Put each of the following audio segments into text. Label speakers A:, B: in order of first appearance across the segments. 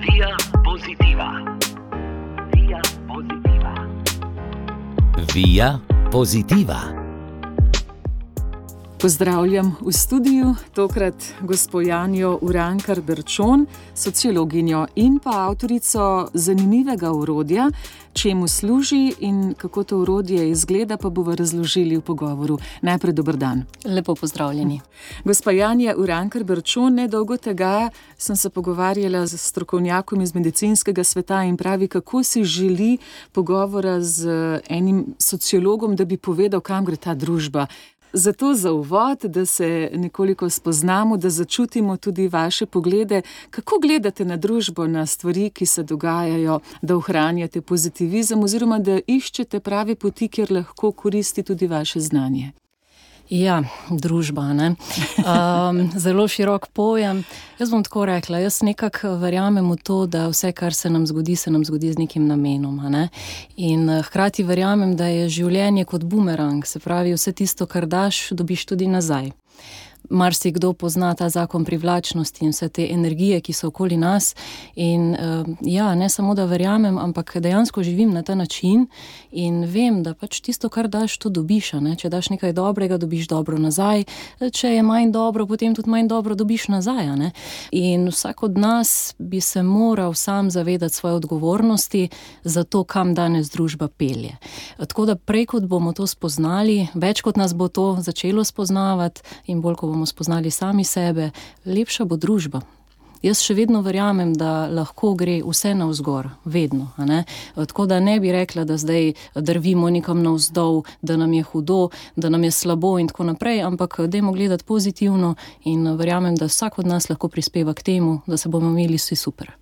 A: Via Positiva. Via Positiva.
B: Via Positiva.
C: Pozdravljam v studiu, tokrat gospo Janjo Urankar-Berčon, sociologinjo in pa avtorico zanimivega orodja, čemu služi in kako to orodje izgleda, pa bomo razložili v pogovoru. Najprej dober dan.
D: Lepo pozdravljeni.
C: Gospa Janja Urankar-Berčon, nedolgo tega sem se pogovarjala z strokovnjakom iz medicinskega sveta in pravi, kako si želi pogovora z enim sociologom, da bi povedal, kam gre ta družba. Zato za uvod, da se nekoliko spoznamo, da začutimo tudi vaše poglede, kako gledate na družbo, na stvari, ki se dogajajo, da ohranjate pozitivizem oziroma da iščete prave poti, kjer lahko koristi tudi vaše znanje.
D: Ja, družba, ne. Zelo širok pojem. Jaz bom tako rekla, jaz nekako verjamem v to, da vse, kar se nam zgodi z nekim namenom, ne. In hkrati verjamem, da je življenje kot bumerang, se pravi, vse tisto, kar daš, dobiš tudi nazaj. Marsikdo pozna ta zakon privlačnosti in vse te energije, ki so okoli nas in ja, ne samo da verjamem, ampak dejansko živim na ta način in vem, da pač tisto, kar daš, to dobiš, ne? Če daš nekaj dobrega, dobiš dobro nazaj, če je manj dobro, potem tudi manj dobro dobiš nazaj, ne? In vsak od nas bi se moral sam zavedati svoje odgovornosti za to, kam danes družba pelje. Tako da prej, kot bomo to spoznali, več kot nas bo to začelo spoznavati in bolj, ko bomo spoznali sami sebe, lepša bo družba. Jaz še vedno verjamem, da lahko gre vse navzgor, vedno, a ne? Tako da ne bi rekla, da zdaj drvimo nekam navzdol, da nam je hudo, da nam je slabo in tako naprej, ampak dajmo gledati pozitivno in verjamem, da vsak od nas lahko prispeva k temu, da se bomo imeli vsi super.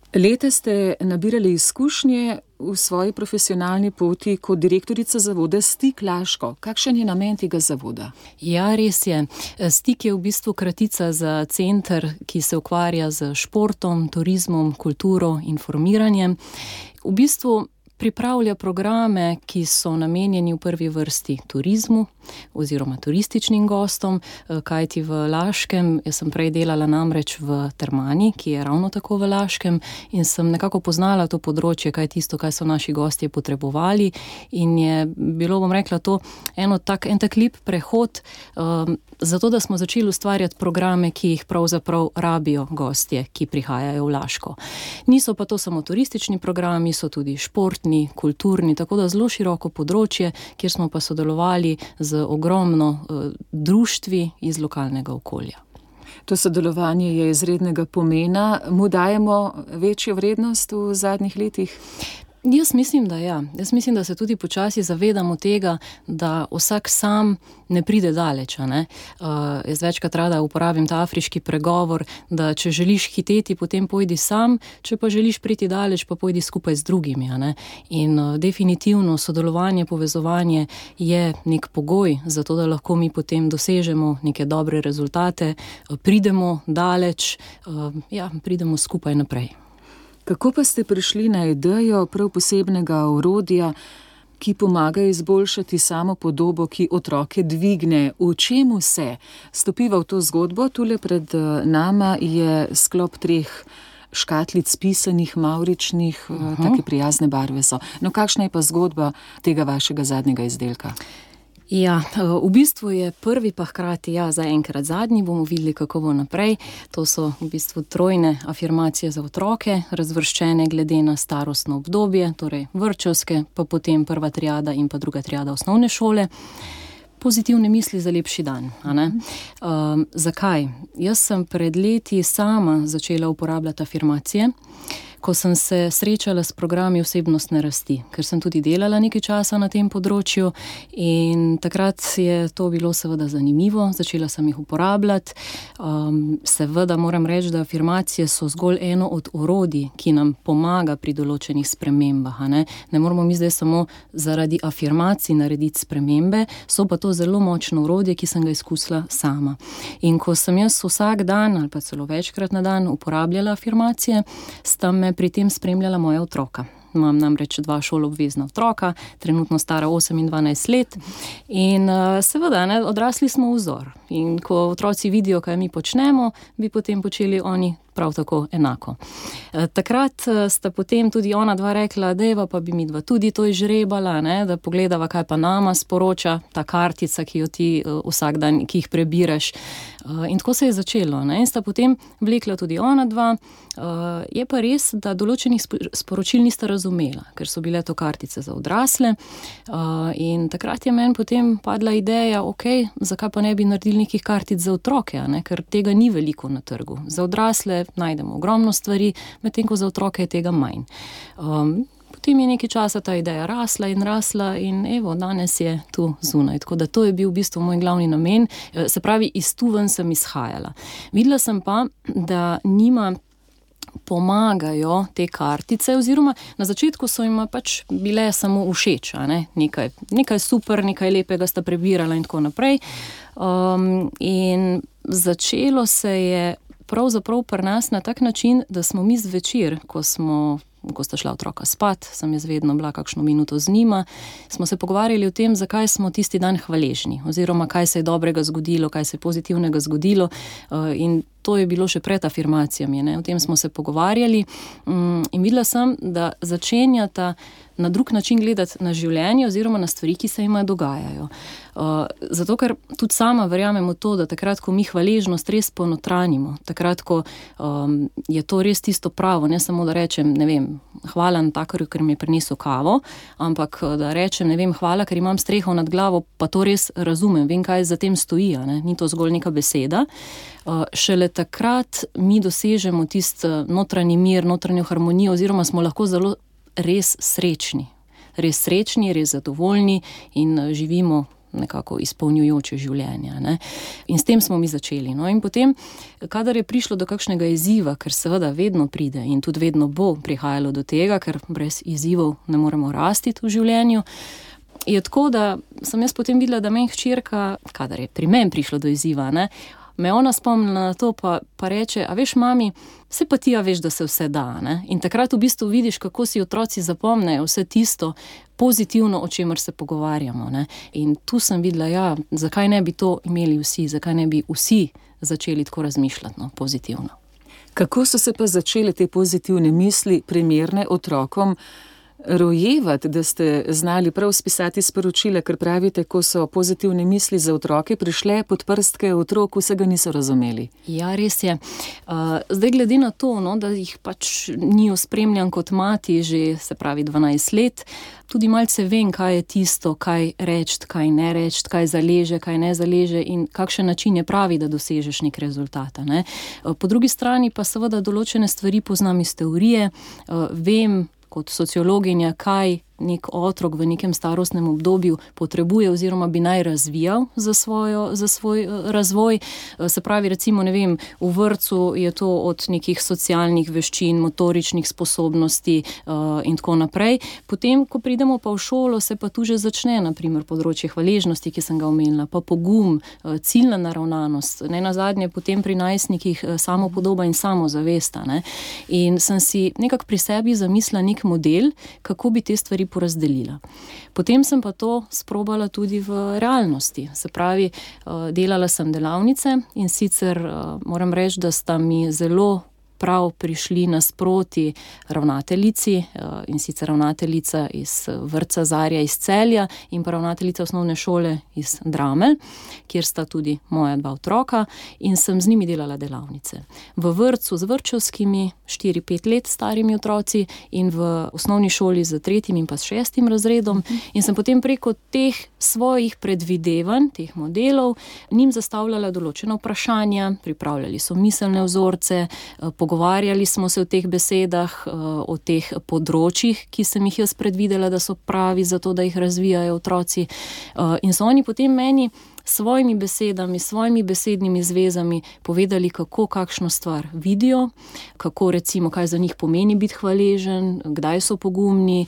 C: Leta ste nabirali izkušnje v svoji profesionalni poti kot direktorica zavoda Stik Laško. Kakšen je namen tega zavoda?
D: Ja, res je. Stik je v bistvu kratica za center, ki se ukvarja z športom, turizmom, kulturo, informiranjem. V bistvu pripravlja programe, ki so namenjeni v prvi vrsti turizmu oziroma turističnim gostom, kajti v Laškem, jaz sem prej delala namreč v Termani, ki je ravno tako v Laškem in sem nekako poznala to področje, kaj tisto, kaj so naši gostje potrebovali in je bilo, bom rekla, to en tak lep prehod, zato da smo začeli ustvarjati programe, ki jih pravzaprav rabijo gostje, ki prihajajo v Laško. Niso pa to samo turistični programi, so tudi športni, kulturni, tako da zelo široko področje, kjer smo pa sodelovali z ogromno društvi iz lokalnega okolja.
C: To sodelovanje je izrednega pomena. Mu dajemo večjo vrednost v zadnjih letih?
D: Jaz mislim, da ja. Jaz mislim, da se tudi počasi zavedamo tega, da vsak sam ne pride daleč, ne. Jaz večkrat rada uporabim ta afriški pregovor, da če želiš hiteti, potem pojdi sam, če pa želiš priti daleč, pa pojdi skupaj z drugimi, ne. In definitivno sodelovanje, povezovanje je nek pogoj za to, da lahko mi potem dosežemo neke dobre rezultate, pridemo daleč, pridemo skupaj naprej.
C: Kako pa ste prišli na idejo prav posebnega orodja, ki pomaga izboljšati samo podobo, ki otroke dvigne? V čemu se stopiva v to zgodbo? Tule pred nama je sklop 3 škatlic pisanih, mavričnih, take prijazne barve so. No, kakšna je pa zgodba tega vašega zadnjega izdelka?
D: Ja, v bistvu je prvi pa hkrati, zaenkrat zadnji, bomo videli, kako bo naprej. To so v bistvu trojne afirmacije za otroke, razvrščene glede na starostno obdobje, torej vrtčevske, pa potem prva triada in pa druga triada osnovne šole. Pozitivne misli za lepši dan, a ne? Zakaj? Jaz sem pred leti sama začela uporabljati afirmacije, ko sem se srečala s programi osebnostne rasti, ker sem tudi delala nekaj časa na tem področju in takrat je to bilo seveda zanimivo, začela sem jih uporabljati. Seveda moram reči, da afirmacije so zgolj eno od orodij, ki nam pomaga pri določenih spremembah, a ne? Ne moramo mi zdaj samo zaradi afirmacij narediti spremembe, so pa to zelo močno orodje, ki sem ga izkusila sama. In ko sem jaz vsak dan ali pa celo večkrat na dan uporabljala afirmacije, sta me pri tem spremljala moja otroka. Imam namreč 2 šoloobvezna otroka, trenutno stara 8 in 12 let in seveda, odrasli smo vzor. In ko otroci vidijo, kaj mi počnemo, bi potem počeli oni prav tako enako. Takrat sta potem tudi ona dva rekla, dejva pa bi mi dva tudi to izžrebala, ne, da pogledava, kaj pa nama sporoča ta kartica, ki jo ti vsak dan, ki jih prebiraš. In tako se je začelo, ne, in sta potem vlekla tudi ona dva. Je pa res, da določenih sporočil nista razumela, ker so bile to kartice za odrasle, in takrat je meni potem padla ideja, zakaj pa ne bi naredili nekih kartic za otroke, ne, ker tega ni veliko na trgu. Za odrasle najdemo ogromno stvari, medtem ko za otroke je tega manj. Potem je nekaj časa ta ideja rasla in evo, danes je tu zunaj. Tako da to je bil v bistvu moj glavni namen. Se pravi, iz tu ven sem izhajala. Videla sem pa, da njima pomagajo te kartice, oziroma na začetku so jima pač bile samo všeč, ne? Nekaj super, nekaj lepega sta prebirala in tako naprej. In začelo se je pravzaprav pri nas na tak način, da smo mi zvečer, ko sta šla otroka spat, sem jaz vedno bila kakšno minuto z njima, smo se pogovarjali o tem, zakaj smo tisti dan hvaležni, oziroma kaj se je dobrega zgodilo, kaj se je pozitivnega zgodilo, in to je bilo še pred afirmacijami, ne? O tem smo se pogovarjali in videla sem, da začenjata na drug način gledati na življenje oziroma na stvari, ki se jima dogajajo. Zato, ker tudi sama verjamem v to, da takrat, ko mi hvaležnost res ponotranimo, takrat, ko je to res tisto pravo, ne samo da rečem, ne vem, hvala Natakarju, ker mi je prinesel kavo, ampak da rečem, ne vem, hvala, ker imam streho nad glavo, pa to res razumem, vem, kaj za tem stoji, ne? Ni to zgolj neka beseda. Šele takrat mi dosežemo tisti notranji mir, notranjo harmonijo, oziroma smo lahko zelo res srečni, res zadovoljni in živimo nekako izpolnjujoče življenja, ne. In s tem smo mi začeli. No, in potem, kadar je prišlo do kakšnega izziva, ker seveda vedno pride in tudi vedno bo prihajalo do tega, ker brez izzivov ne moremo rasti v življenju, je tako, da sem jaz potem videla, da meni hčerka, kadar je pri meni prišlo do izziva, ne, me ona spomnila na to, pa reče, a veš, mami, vse pa ti veš, da se vse da, ne? In takrat v bistvu vidiš, kako si otroci zapomnejo vse tisto pozitivno, o čemer se pogovarjamo, ne? In tu sem videla, zakaj ne bi to imeli vsi, zakaj ne bi vsi začeli tako razmišljati, no, pozitivno.
C: Kako so se pa začele te pozitivne misli, primerne otrokom, rojevati, da ste znali prav spisati sporočila, ker pravite, ko so pozitivne misli za otroke prišle pod prstke otrok, vsega niso razumeli.
D: Ja, res je. Zdaj glede na to, no, da jih pač ni ospremljan kot mati že, se pravi, 12 let, tudi malce vem, kaj je tisto, kaj reči, kaj ne reči, kaj zaleže, kaj ne zaleže in kakšen način je pravi, da dosežeš nek rezultat, ne. Po drugi strani pa seveda določene stvari poznam iz teorije, vem kot sociologinja, kaj nek otrok v nekem starostnem obdobju potrebuje oziroma bi naj razvijal za svoj razvoj. Se pravi, recimo, ne vem, v vrtcu je to od nekih socialnih veščin, motoričnih sposobnosti in tako naprej. Potem, ko pridemo pa v šolo, se pa tu že začne, na primer, področje hvaležnosti, ki sem ga omenila, pa pogum, ciljna naravnanost, ne nazadnje potem pri najstnikih samopodoba in samozavesta, ne. In sem si nekako pri sebi zamislila nek model, kako bi te stvari porazdelila. Potem sem pa to sprobala tudi v realnosti. Se pravi, delala sem delavnice in sicer moram reči, da sta mi zelo prav prišli nasproti ravnateljici, in sicer ravnateljica iz vrtca Zarja iz Celja in pa ravnateljica osnovne šole iz Dramelj, kjer sta tudi moja dva otroka in sem z njimi delala delavnice. V vrtcu z vrtčevskimi 4-5 let starimi otroci in v osnovni šoli z 3. in pa s 6. razredom in sem potem preko teh svojih predvidevanj, teh modelov, njim zastavljala določena vprašanja, pripravljali so miselne vzorce, pogovarjali smo se o teh besedah, o teh področjih, ki sem jih jaz predvidela, da so pravi za to, da jih razvijajo otroci. In so oni potem meni svojimi besedami, svojimi besednimi zvezami povedali, kako kakšno stvar vidijo, kako recimo, kaj za njih pomeni biti hvaležen, kdaj so pogumni,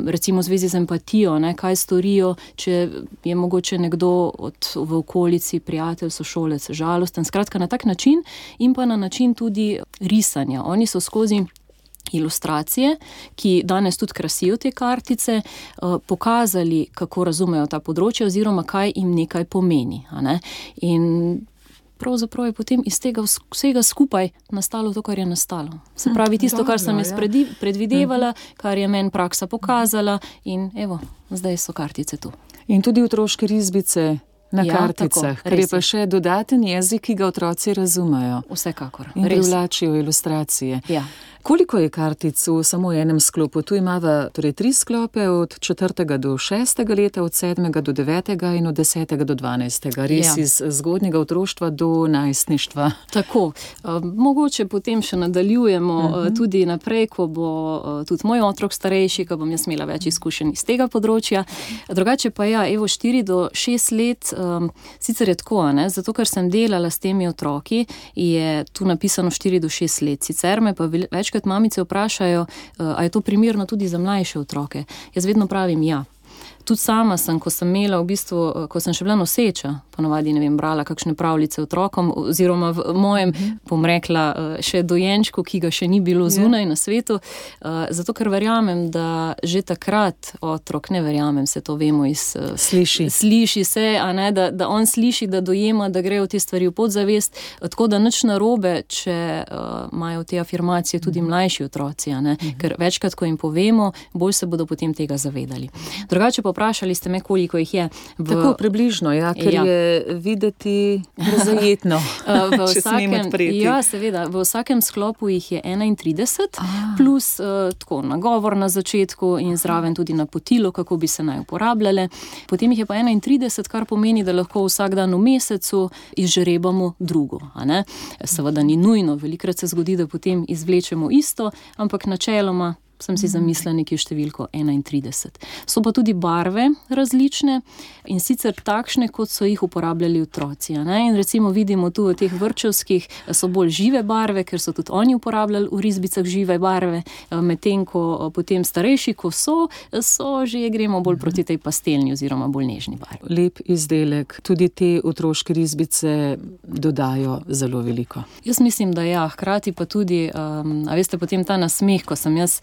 D: recimo v zvezi z empatijo, ne, kaj storijo, če je mogoče nekdo v okolici, prijatelj, sošolec, žalosten. Skratka, na tak način in pa na način tudi risanja. Oni so skozi ilustracije, ki danes tudi krasijo te kartice, pokazali, kako razumejo ta področja oziroma kaj jim nekaj pomeni, a ne. In pravzaprav je potem iz tega vsega skupaj nastalo to, kar je nastalo. Se pravi, tisto, kar sem jaz predvidevala, kar je meni praksa pokazala in evo, zdaj so kartice tu.
C: In tudi otroške risbice na karticah,
D: tako,
C: ker je pa še dodaten jezik, ki ga otroci razumejo.
D: Vsekakor.
C: In privlačijo ilustracije.
D: Ja.
C: Koliko je kartic v samo enem sklopu? Tu imava torej 3 sklope od 4. do 6. leta, od 7. do 9. in od 10. do 12. Res iz zgodnjega otroštva do najstništva.
D: Tako. Mogoče potem še nadaljujemo tudi naprej, ko bo tudi moj otrok starejši, ko bom jaz imela več izkušenj iz tega področja. Drugače pa 4 do 6 let, sicer je tako, zato ker sem delala s temi otroki, je tu napisano 4 do 6 let. Sicer me pa večkrat mamice vprašajo, a je to primerno tudi za mlajše otroke. Jaz vedno pravim ja. Tudi sama sem, ko sem imela ko sem še bila noseča, ponavadi, brala kakšne pravljice otrokom, oziroma v mojem, bom rekla, še dojenčku, ki ga še ni bilo zunaj na svetu, zato ker verjamem, da že takrat otrok, ne verjamem, se to vemo iz... Sliši se, da on sliši, da dojema, da grejo te stvari v podzavest, tako da nič narobe, če imajo te afirmacije tudi mlajši otroci, ker večkrat, ko jim povemo, bolj se bodo potem tega zavedali. Drugače pa vprašali ste me, koliko jih je.
C: Tako približno, ker je videti zajetno, če smem odpreti.
D: Ja, seveda. V vsakem sklopu jih je 31, plus tako nagovor na začetku in zraven tudi napotilo, kako bi se naj uporabljale. Potem jih je pa 31, kar pomeni, da lahko vsak dan v mesecu izžrebamo drugo. Seveda ni nujno, velikokrat se zgodi, da potem izvlečemo isto, ampak načeloma sem si zamislila nekje številko 31. So pa tudi barve različne in sicer takšne, kot so jih uporabljali otroci. In recimo vidimo tu v teh vrtčevskih so bolj žive barve, ker so tudi oni uporabljali v risbicah žive barve, medtem ko potem starejši, ko so že gremo bolj proti tej pastelni oziroma bolj nežni barvi.
C: Lep izdelek, tudi te otroške risbice dodajo zelo veliko.
D: Jaz mislim, da hkrati pa tudi, a veste, potem ta nasmeh, ko sem jaz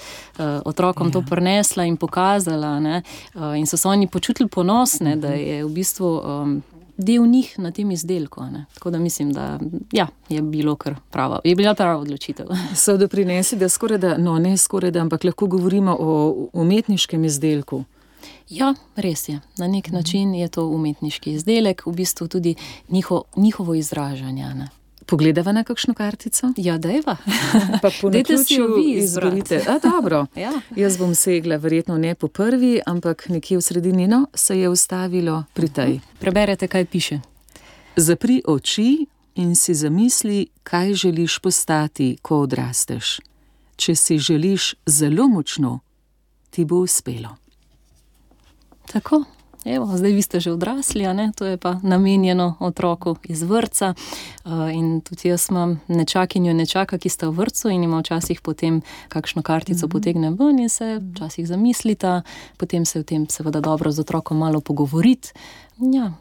D: otrokom to prinesla in pokazala, in so se oni počutili ponosne, da je v bistvu del njih na tem izdelku. Tako da mislim, da je bila prava odločitev.
C: So doprinesi, da ne skorajda, ampak lahko govorimo o umetniškem izdelku.
D: Ja, res je. Na nek način je to umetniški izdelek, v bistvu tudi njihovo izražanje.
C: Pogledava na kakšno kartico?
D: Ja, dajva.
C: Pa po naključju izberite. Dobro. Ja. Jaz bom segla verjetno ne po prvi, ampak nekje v sredini, se je ustavilo pri tej.
D: Preberete, kaj piše.
C: Zapri oči in si zamisli, kaj želiš postati, ko odrasteš. Če si želiš zelo močno, ti bo uspelo.
D: Tako. Evo, zdaj vi ste že odrasli, to je pa namenjeno otroku iz vrtca in tudi jaz imam nečakinjo in nečaka, ki sta v vrtcu in ima včasih potem kakšno kartico potegne ven in se včasih zamislita, potem se o tem seveda dobro z otrokom malo pogovoriti. Ja,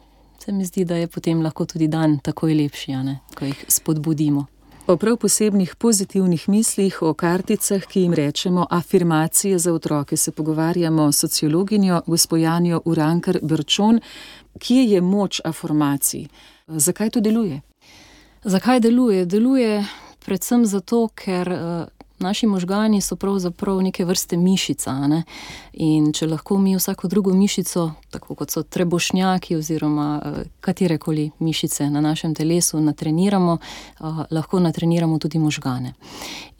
D: se mi zdi, da je potem lahko tudi dan takoj lepši, ko jih spodbudimo.
C: O prav posebnih pozitivnih mislih, o karticah, ki jim rečemo afirmacije za otroke, se pogovarjamo s sociologinjo gospo Janjo Urankar-Berčon. Kje je moč afirmacij? Zakaj to deluje?
D: Zakaj deluje? Deluje predvsem zato, ker naši možgani so pravzaprav neke vrste mišica, in če lahko mi vsako drugo mišico, tako kot so trebušnjaki oziroma katerekoli mišice na našem telesu natreniramo, lahko natreniramo tudi možgane.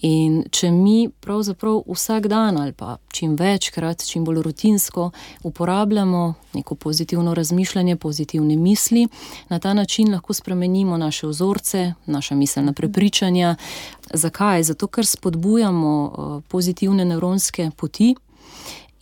D: In če mi pravzaprav vsak dan ali pa čim večkrat, čim bolj rutinsko uporabljamo neko pozitivno razmišljanje, pozitivne misli, na ta način lahko spremenimo naše vzorce, naša miselna prepričanja. Zakaj? Zato, ker spodbujamo pozitivne nevronske poti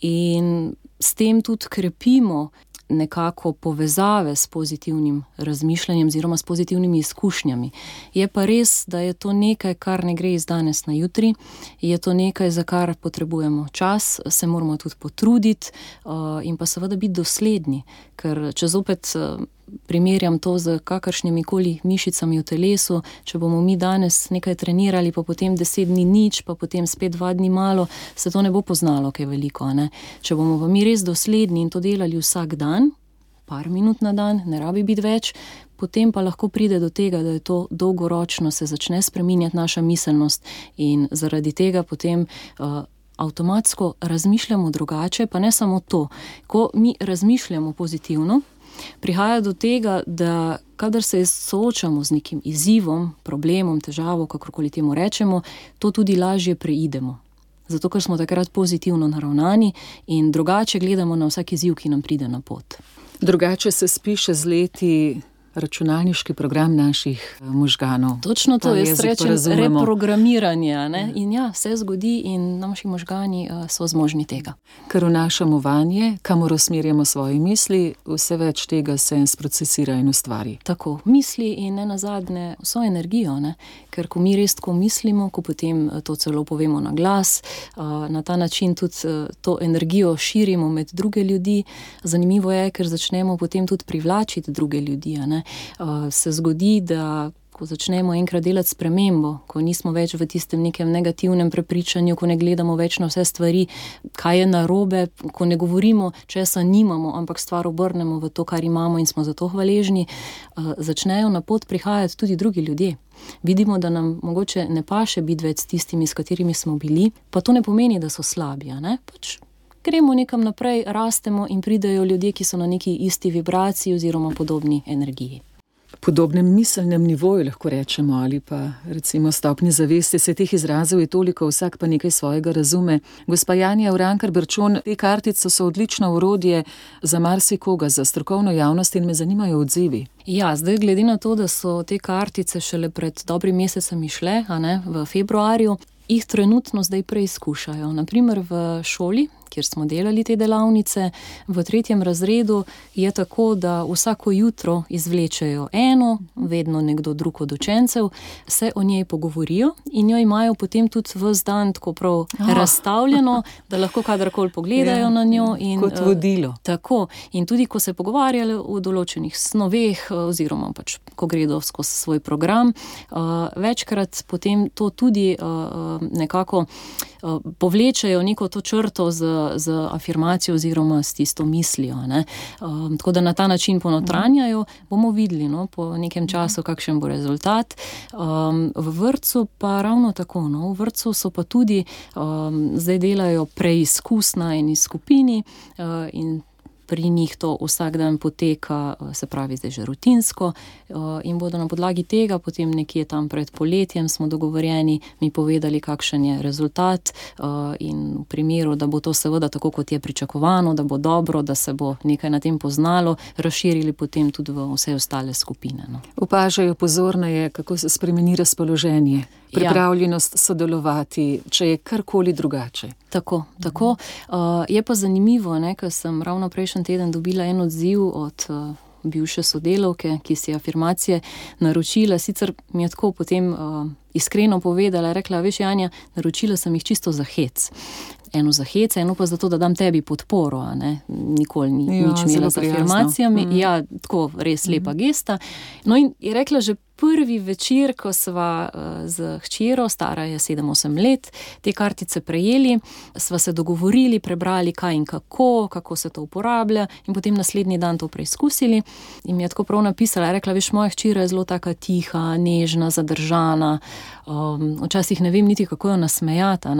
D: in s tem tudi krepimo nekako povezave s pozitivnim razmišljanjem oziroma s pozitivnimi izkušnjami. Je pa res, da je to nekaj, kar ne gre iz danes na jutri, je to nekaj, za kar potrebujemo čas, se moramo tudi potruditi in pa seveda biti dosledni, ker če zopet primerjam to z kakršnimi koli mišicami v telesu, če bomo mi danes nekaj trenirali, pa potem 10 dni nič, pa potem spet 2 dni malo, se to ne bo poznalo kaj veliko. Če bomo pa mi res dosledni in to delali vsak dan, par minut na dan, ne rabi biti več, potem pa lahko pride do tega, da je to dolgoročno, se začne spreminjati naša miselnost in zaradi tega potem avtomatsko razmišljamo drugače, pa ne samo to. Ko mi razmišljamo pozitivno, prihaja do tega, da kadar se soočamo z nekim izzivom, problemom, težavo, kakorkoli temu rečemo, to tudi lažje preidemo. Zato, ker smo takrat pozitivno naravnani in drugače gledamo na vsak izziv, ki nam pride na pot.
C: Drugače se spiše z leti računalniški program naših možganov.
D: Točno to, jaz rečem reprogramiranje. Ne? In ja, se zgodi in naši možgani so zmožni tega.
C: Ker vnašamo vanje, kamor usmerjamo svoje misli, vse več tega se sprocesira in ustvari.
D: Tako, misli in ne nazadnje vso energijo, ne? Ker ko mi res tako mislimo, ko potem to celo povemo na glas, na ta način tudi to energijo širimo med druge ljudi. Zanimivo je, ker začnemo potem tudi privlačiti druge ljudi, ne? Se zgodi, da ko začnemo enkrat delati spremembo, ko nismo več v tistem nekem negativnem prepričanju, ko ne gledamo več na vse stvari, kaj je narobe, ko ne govorimo, česa nimamo, ampak stvar obrnemo v to, kar imamo in smo za to hvaležni, začnejo na pot prihajati tudi drugi ljudje. Vidimo, da nam mogoče ne paše biti več s tistimi, s katerimi smo bili, pa to ne pomeni, da so slabi, ne? Pač gremo nekam naprej, rastemo in pridejo ljudje, ki so na neki isti vibraciji oziroma podobni energiji.
C: Podobnem miselnem nivoju lahko rečemo ali pa recimo stopni zavesti, se teh izrazov je toliko, vsak pa nekaj svojega razume. Gospa Janja Urankar Berčon, te kartice so odlično orodje za marsikoga, za strokovno javnost in me zanimajo odzivi.
D: Ja, zdaj glede na to, da so te kartice šele pred dobrim mesecem išle, v februarju, jih trenutno zdaj preizkušajo. Naprimer v šoli, kjer smo delali te delavnice, v 3. razredu je tako, da vsako jutro izvlečejo eno, vedno nekdo drug od učencev, se o njej pogovorijo in jo imajo potem tudi ves dan tako prav razstavljeno, da lahko kadarkoli pogledajo na njo. In,
C: kot vodilo.
D: Tako. In tudi, ko se pogovarjajo o določenih snoveh oziroma pač, ko gredo skozi svoj program, večkrat potem to tudi nekako povlečejo neko to črto z afirmacijo oziroma s tisto mislijo. Tako da na ta način ponotranjajo, bomo videli po nekem času, kakšen bo rezultat. V vrtcu pa ravno tako. V vrtcu so pa tudi, zdaj delajo preizkus na eni skupini in pri njih to vsak dan poteka, se pravi zdaj že rutinsko, in bodo na podlagi tega potem nekje tam pred poletjem smo dogovorjeni, mi povedali, kakšen je rezultat, in v primeru, da bo to seveda tako, kot je pričakovano, da bo dobro, da se bo nekaj na tem poznalo, razširili potem tudi v vse ostale skupine.
C: Opažajo pozorneje, kako se spremeni razpoloženje, pripravljenost sodelovati, če je karkoli drugače.
D: Tako. Je pa zanimivo, ker sem ravno prejšnji teden dobila en odziv od bivše sodelavke, ki si afirmacije naročila, sicer mi je tako potem iskreno povedala, rekla, veš Janja, naročila sem jih čisto za hec. Eno za hec, eno pa zato, da dam tebi podporo, nikoli nič imela z afirmacijami. Ja, tako res lepa gesta. No in je rekla, že prvi večer, ko sva z hčero, stara je 7-8 let, te kartice prejeli, sva se dogovorili, prebrali kaj in kako se to uporablja in potem naslednji dan to preizkusili. In mi je tako prav napisala, rekla, veš, moja hčera je zelo taka tiha, nežna, zadržana, včasih ne vem niti, kako jo nasmejata.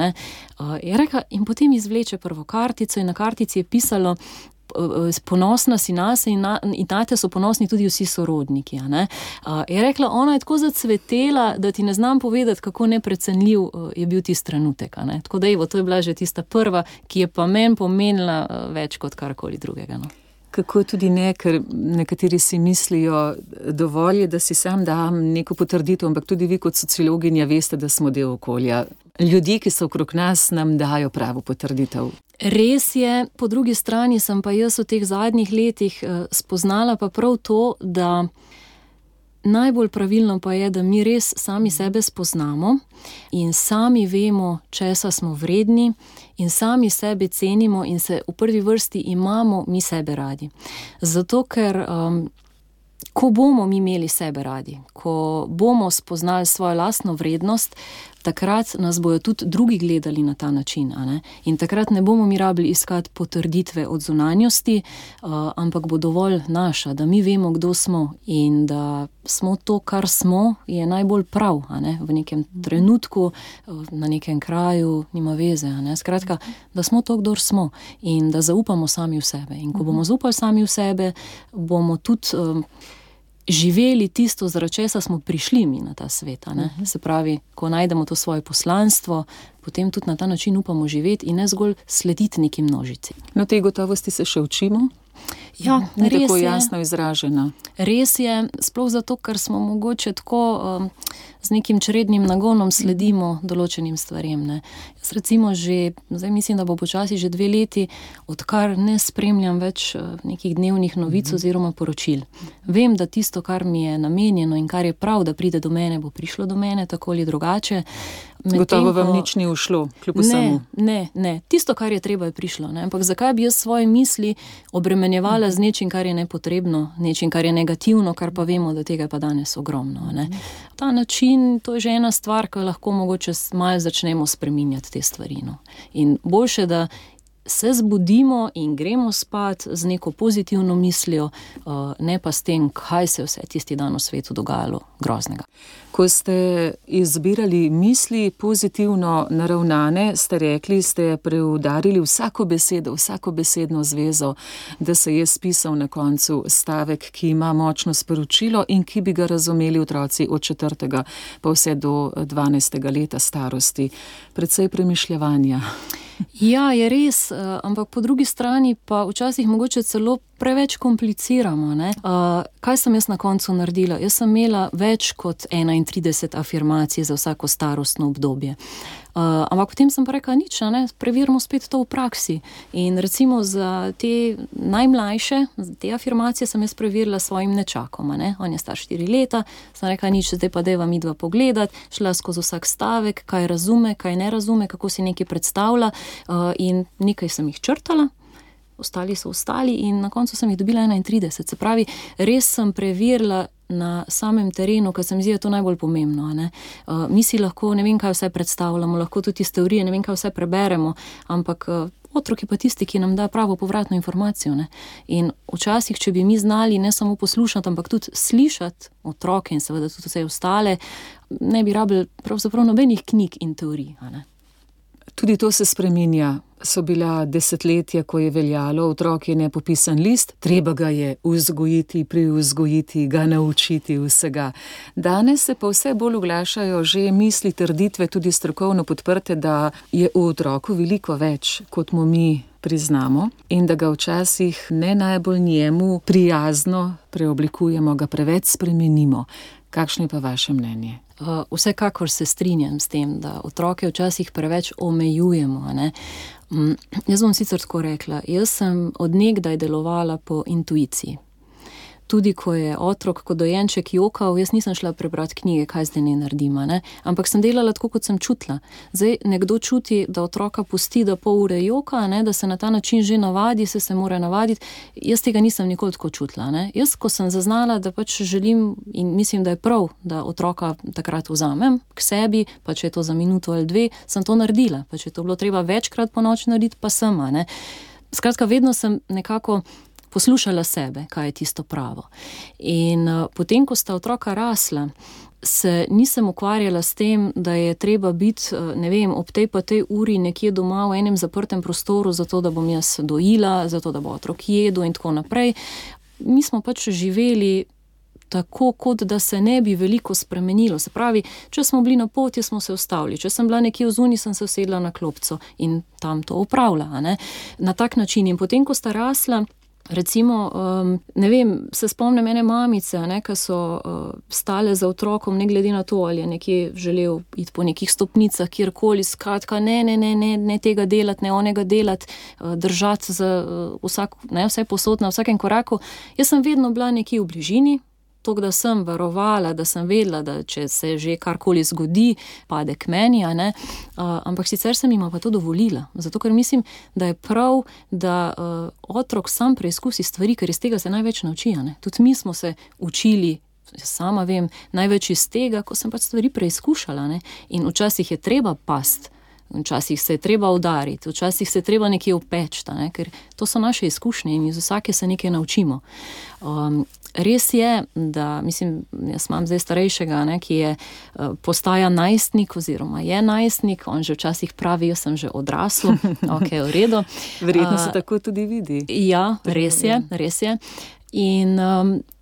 D: Je rekla, in potem izvleče prvo kartico in na kartici je pisalo, ponosna si nase in nate so ponosni tudi vsi sorodniki. Je rekla, ona je tako zacvetela, da ti ne znam povedati, kako neprecenljiv je bil tisti trenutek. Tako da to je bila že tista prva, ki je pa meni pomenila več kot karkoli drugega.
C: Kako tudi ne, ker nekateri si mislijo, dovolj je, da si sam dam neko potrditev, ampak tudi vi kot sociologinja veste, da smo del okolja. Ljudje, ki so okrog nas, nam dajo pravo potrditev.
D: Res je, po drugi strani sem pa jaz v teh zadnjih letih spoznala pa prav to, da najbolj pravilno pa je, da mi res sami sebe spoznamo in sami vemo, česa smo vredni in sami sebe cenimo in se v prvi vrsti imamo mi sebe radi. Zato, ker ko bomo mi imeli sebe radi, ko bomo spoznali svojo lastno vrednost, takrat nas bojo tudi drugi gledali na ta način, a ne? In takrat ne bomo mi rabili iskati potrditve od zunanjosti, ampak bo dovolj naša, da mi vemo, kdo smo in da smo to, kar smo, je najbolj prav, a ne? V nekem trenutku, na nekem kraju, nima veze, a ne? Skratka, da smo to, kdor smo in da zaupamo sami v sebe. In ko bomo zaupali sami v sebe, bomo tudi živeli tisto, zaradi česa smo prišli mi na ta svet, a ne? Se pravi, ko najdemo to svoje poslanstvo, potem tudi na ta način upamo živeti in ne zgolj slediti neki množici.
C: No, te gotovosti se še učimo?
D: Ja,
C: ni
D: res
C: tako
D: je.
C: jasno izražena.
D: Res je, sploh zato, ker smo mogoče tako z nekim črednim nagonom sledimo določenim stvarem, ne. Jaz recimo že, zdaj mislim, da bo počasi že 2 leti, odkar ne spremljam več nekih dnevnih novic oziroma poročil. Vem, da tisto, kar mi je namenjeno in kar je prav, da pride do mene, bo prišlo do mene, tako ali drugače.
C: Gotovo vam nič ni ušlo, kljub vsemu.
D: Ne. Tisto, kar je treba, je prišlo, ne. Ampak zakaj bi jaz svoje misli obremenjevala z nečim, kar je nepotrebno, nečim, kar je negativno, kar pa vemo, da tega je pa danes ogromno, ne. Ta način, to je že ena stvar, ko lahko mogoče malo začnemo spreminjati te stvari, no. In boljše, da se zbudimo in gremo spat z neko pozitivno mislijo, ne pa s tem, kaj se vse tisti dan v svetu dogajalo groznega.
C: Ko ste izbirali misli pozitivno naravnane, ste rekli, ste preudarili vsako besedo, vsako besedno zvezo, da se je spisal na koncu stavek, ki ima močno sporočilo in ki bi ga razumeli otroci od 4. pa vse do 12. leta starosti. Precej premišljevanja.
D: Ja, je res, ampak po drugi strani pa včasih mogoče celo preveč kompliciramo, ne. Kaj sem jaz na koncu naredila? Jaz sem imela več kot 31 afirmacij za vsako starostno obdobje. Ampak potem sem pa rekla, nič, ne, preverimo spet to v praksi. In recimo za te najmlajše, te afirmacije sem jaz preverila svojim nečakom, ne. On je star 4 leta, sem rekla, nič, zdaj pa dajva midva pogledat, šla skozi vsak stavek, kaj razume, kaj ne razume, kako si nekaj predstavlja, in nekaj sem jih črtala, ostali so ostali in na koncu sem jih dobila 31. Se pravi, res sem preverila na samem terenu, ker se mi zdi, da je to najbolj pomembno, ne. Mi si lahko, ne vem, kaj vse predstavljamo, lahko tudi iz teorije, ne vem, kaj vse preberemo, ampak otrok je pa tisti, ki nam da pravo povratno informacijo, ne. In včasih, če bi mi znali ne samo poslušati, ampak tudi slišati otroke in seveda tudi vse ostale, ne bi rabili pravzaprav nobenih knjig in teorij, a ne.
C: Tudi to se spreminja. So bila desetletja, ko je veljalo, otrok je nepopisan list, treba ga je vzgojiti, privzgojiti, ga naučiti vsega. Danes se pa vse bolj oglašajo že misli, trditve, tudi strokovno podprte, da je v otroku veliko več, kot mu mi priznamo in da ga včasih ne najbolj njemu prijazno preoblikujemo, ga preveč spremenimo. Kakšno je pa vaše mnenje?
D: Vsekakor se strinjam s tem, da otroke včasih preveč omejujemo, a ne. Jaz bom sicer tako rekla, jaz sem od nekdaj delovala po intuiciji. Tudi ko je otrok kot dojenček jokal, jaz nisem šla prebrati knjige, kaj zdaj ne naredim, ne? Ampak sem delala tako, kot sem čutila. Zdaj nekdo čuti, da otroka pusti, da pol ure joka, ne? Da se na ta način že navadi, se mora navaditi. Jaz tega nisem nikoli tako čutila, ne? Jaz, ko sem zaznala, da pač želim in mislim, da je prav, da otroka takrat vzamem k sebi, pa če je to za minuto ali 2, sem to naredila. Pa če je to bilo treba večkrat po noč narediti, pa sem, ne? Skratka, vedno sem nekako poslušala sebe, kaj je tisto pravo. In potem, ko sta otroka rasla, se nisem ukvarjala s tem, da je treba biti, ne vem, ob tej pa tej uri nekje doma v enem zaprtem prostoru, zato da bom jaz dojila, zato da bo otrok jedel in tako naprej. Mi smo pač živeli tako, kot da se ne bi veliko spremenilo. Se pravi, če smo bili na poti, smo se ustavili. Če sem bila nekje vzunji, sem se usedla na klopco in tam to opravila, ne? Na tak način. In potem, ko sta rasla, recimo, ne vem, se spomnim ene mamice, ne, ki so stale za otrokom, ne glede na to, ali je nekje želel iti po nekih stopnicah, kjerkoli, skratka, ne tega delati, ne onega delati, držati za vse posod na vsakem koraku. Jaz sem vedno bila nekje v bližini, tako da sem varovala, da sem vedela, da če se že karkoli zgodi, pade k meni, a ne. Ampak sicer sem jima pa to dovolila, zato ker mislim, da je prav, da otrok sam preizkusi stvari, ker iz tega se največ nauči, a ne. Tudi mi smo se učili sama vem, največ iz tega, ko sem pač stvari preizkušala, ne? In včasih je treba past, včasih se je treba udariti, včasih se je treba nekje upečta, ne? Ker to so naše izkušnje in iz vsake se nekaj naučimo. Res je, da, mislim, jaz imam zdaj starejšega, ne, ki je postaja najstnik oziroma je najstnik, on že včasih pravi, jaz sem že odrasel, ok, v redu.
C: Verjetno se tako tudi vidi.
D: Ja, res je. In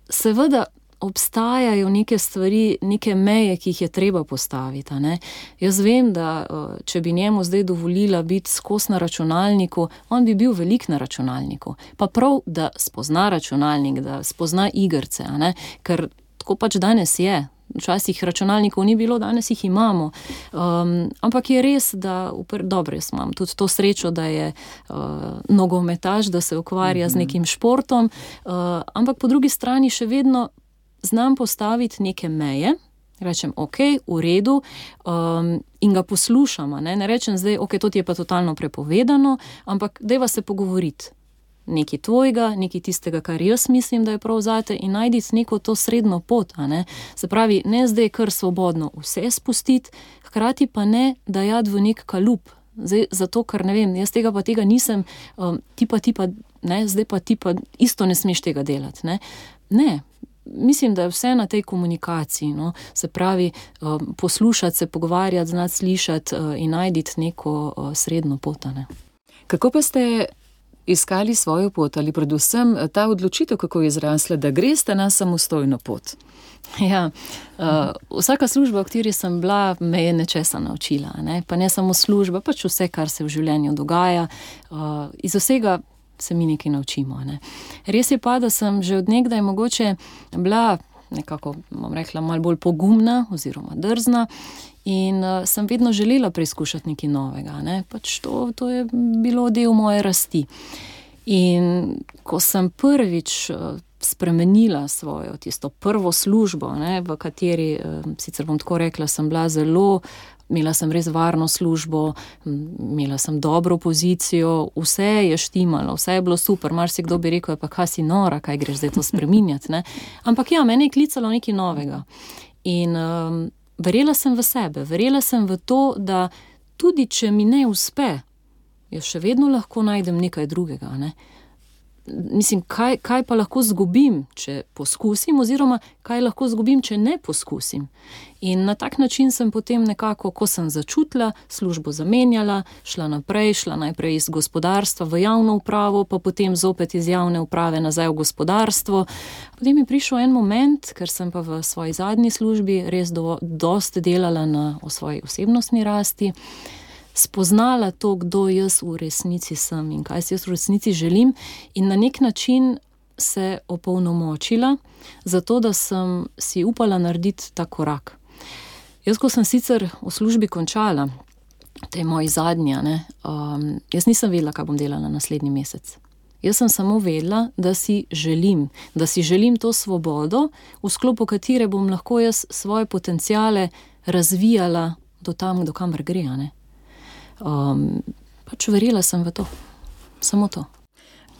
D: seveda obstajajo neke stvari, neke meje, ki jih je treba postaviti, ne. Jaz vem, da če bi njemu zdaj dovolila biti skos na računalniku, on bi bil velik na računalniku. Pa prav, da spozna računalnik, da spozna igrce, a ne, ker tako pač danes je. Včasih računalnikov ni bilo, danes jih imamo. Ampak je res, da, dobro, jaz imam tudi to srečo, da je nogometaš, da se ukvarja z nekim športom, ampak po drugi strani še vedno znam postaviti neke meje, rečem, ok, v redu, in ga poslušam, ne rečem zdaj, ok, to ti je pa totalno prepovedano, ampak dajva se pogovoriti. Nekaj tvojega, nekaj tistega, kar jaz mislim, da je prav zate, in najditi neko to srednjo pot, a ne. Se pravi, ne zdaj kar svobodno vse spustiti, hkrati pa ne dajati v nek kalup. Zdaj, zato, ker ne vem, jaz tega nisem, ti pa, ne, zdaj pa ti pa isto ne smeš tega delati, ne. Ne. Mislim, da je vse na tej komunikaciji, no, se pravi, poslušati se, pogovarjati, znati slišati in najditi neko srednjo pot, ne.
C: Kako pa ste iskali svojo pot ali predvsem ta odločitev, kako je izrasla, da greste na samostojno pot?
D: Ja, vsaka služba, v kateri sem bila, me je nečesa naučila, ne, pa ne samo služba, pač vse, kar se v življenju dogaja, iz vsega se mi nekaj naučimo, ne. Res je pa, da sem že od nekdaj mogoče bila nekako, bom rekla, malo bolj pogumna oziroma drzna in sem vedno želela preizkušati nekaj novega, ne. Pač to je bilo del moje rasti. In ko sem prvič spremenila svojo tisto prvo službo, ne, v kateri, sicer bom tako rekla, sem bila imela sem res varno službo, imela sem dobro pozicijo, vse je štimalo, vse je bilo super, marsikdo bi rekel, pa kaj si nora, kaj greš zdaj to spreminjati, ne. Ampak ja, mene je klicalo nekaj novega. In verjela sem v sebe, verjela sem v to, da tudi če mi ne uspe, jaz še vedno lahko najdem nekaj drugega, ne. Mislim, kaj pa lahko zgubim, če poskusim, oziroma kaj lahko zgubim, če ne poskusim. In na tak način sem potem nekako, ko sem začutila, službo zamenjala, šla najprej iz gospodarstva v javno upravo, pa potem zopet iz javne uprave nazaj v gospodarstvo. Potem je prišel en moment, ker sem pa v svoji zadnji službi res dosti delala o svoji osebnostni rasti, spoznala to, kdo jaz v resnici sem in kaj si jaz v resnici želim, in na nek način se opolnomočila, zato da sem si upala narediti ta korak. Jaz, ko sem sicer v službi končala, to je moji zadnja, ne, jaz nisem vedela, kaj bom delala naslednji mesec. Jaz sem samo vedela, da si želim to svobodo, v sklopu katere bom lahko jaz svoje potenciale razvijala do kamor gre, ne. Pač verjela sem v to, samo to.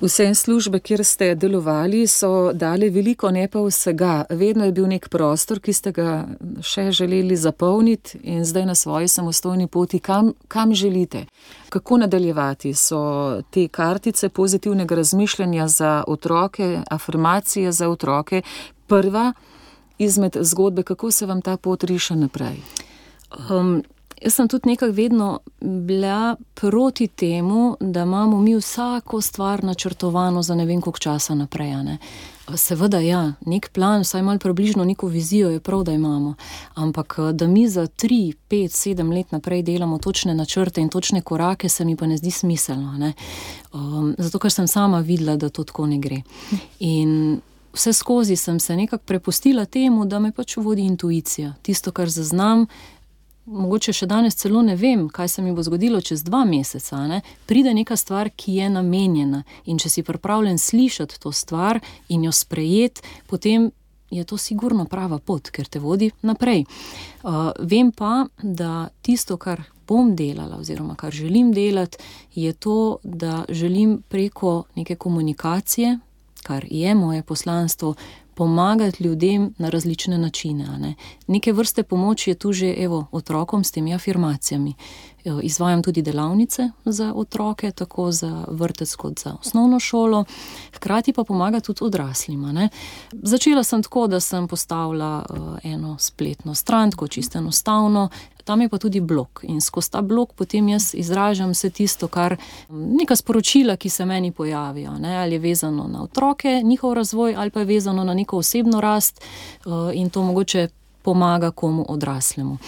C: Vse službe, kjer ste delovali, so dale veliko, ne pa vsega. Vedno je bil nek prostor, ki ste ga še želeli zapolniti, in zdaj na svoji samostojni poti, kam želite? Kako nadaljevati? So te kartice pozitivnega razmišljanja za otroke, afirmacije za otroke, prva izmed zgodbe, kako se vam ta pot riše naprej?
D: Jaz sem tudi nekako vedno bila proti temu, da imamo mi vsako stvar načrtovano za ne vem koliko časa naprej, ne. Seveda ja, nek plan, vsaj malo približno neko vizijo je prav, da imamo, ampak da mi za 3, 5, 7 let naprej delamo točne načrte in točne korake, se mi pa ne zdi smiselno, ne. Zato, ker sem sama videla, da to tako ne gre. In vse skozi sem se nekako prepustila temu, da me pač vodi intuicija. Tisto, kar zaznam, mogoče še danes celo ne vem, kaj se mi bo zgodilo čez 2 meseca, ne? Pride neka stvar, ki je namenjena, in če si pripravljen slišati to stvar in jo sprejeti, potem je to sigurno prava pot, ker te vodi naprej. Vem pa, da tisto, kar bom delala oziroma kar želim delati, je to, da želim preko neke komunikacije, kar je moje poslanstvo, pomagati ljudem na različne načine. Ne. Neke vrste pomoč je tu že otrokom s temi afirmacijami. Izvajam tudi delavnice za otroke, tako za vrtec kot za osnovno šolo, hkrati pa pomaga tudi odraslima. Ne. Začela sem tako, da sem postavila eno spletno stran, tako čisto enostavno, tam je pa tudi blog in skozi ta blog potem jaz izražam vse tisto, kar neka sporočila, ki se meni pojavijo, ne, ali je vezano na otroke, njihov razvoj, ali pa je vezano na neko osebno rast in to mogoče pomaga komu odraslemu.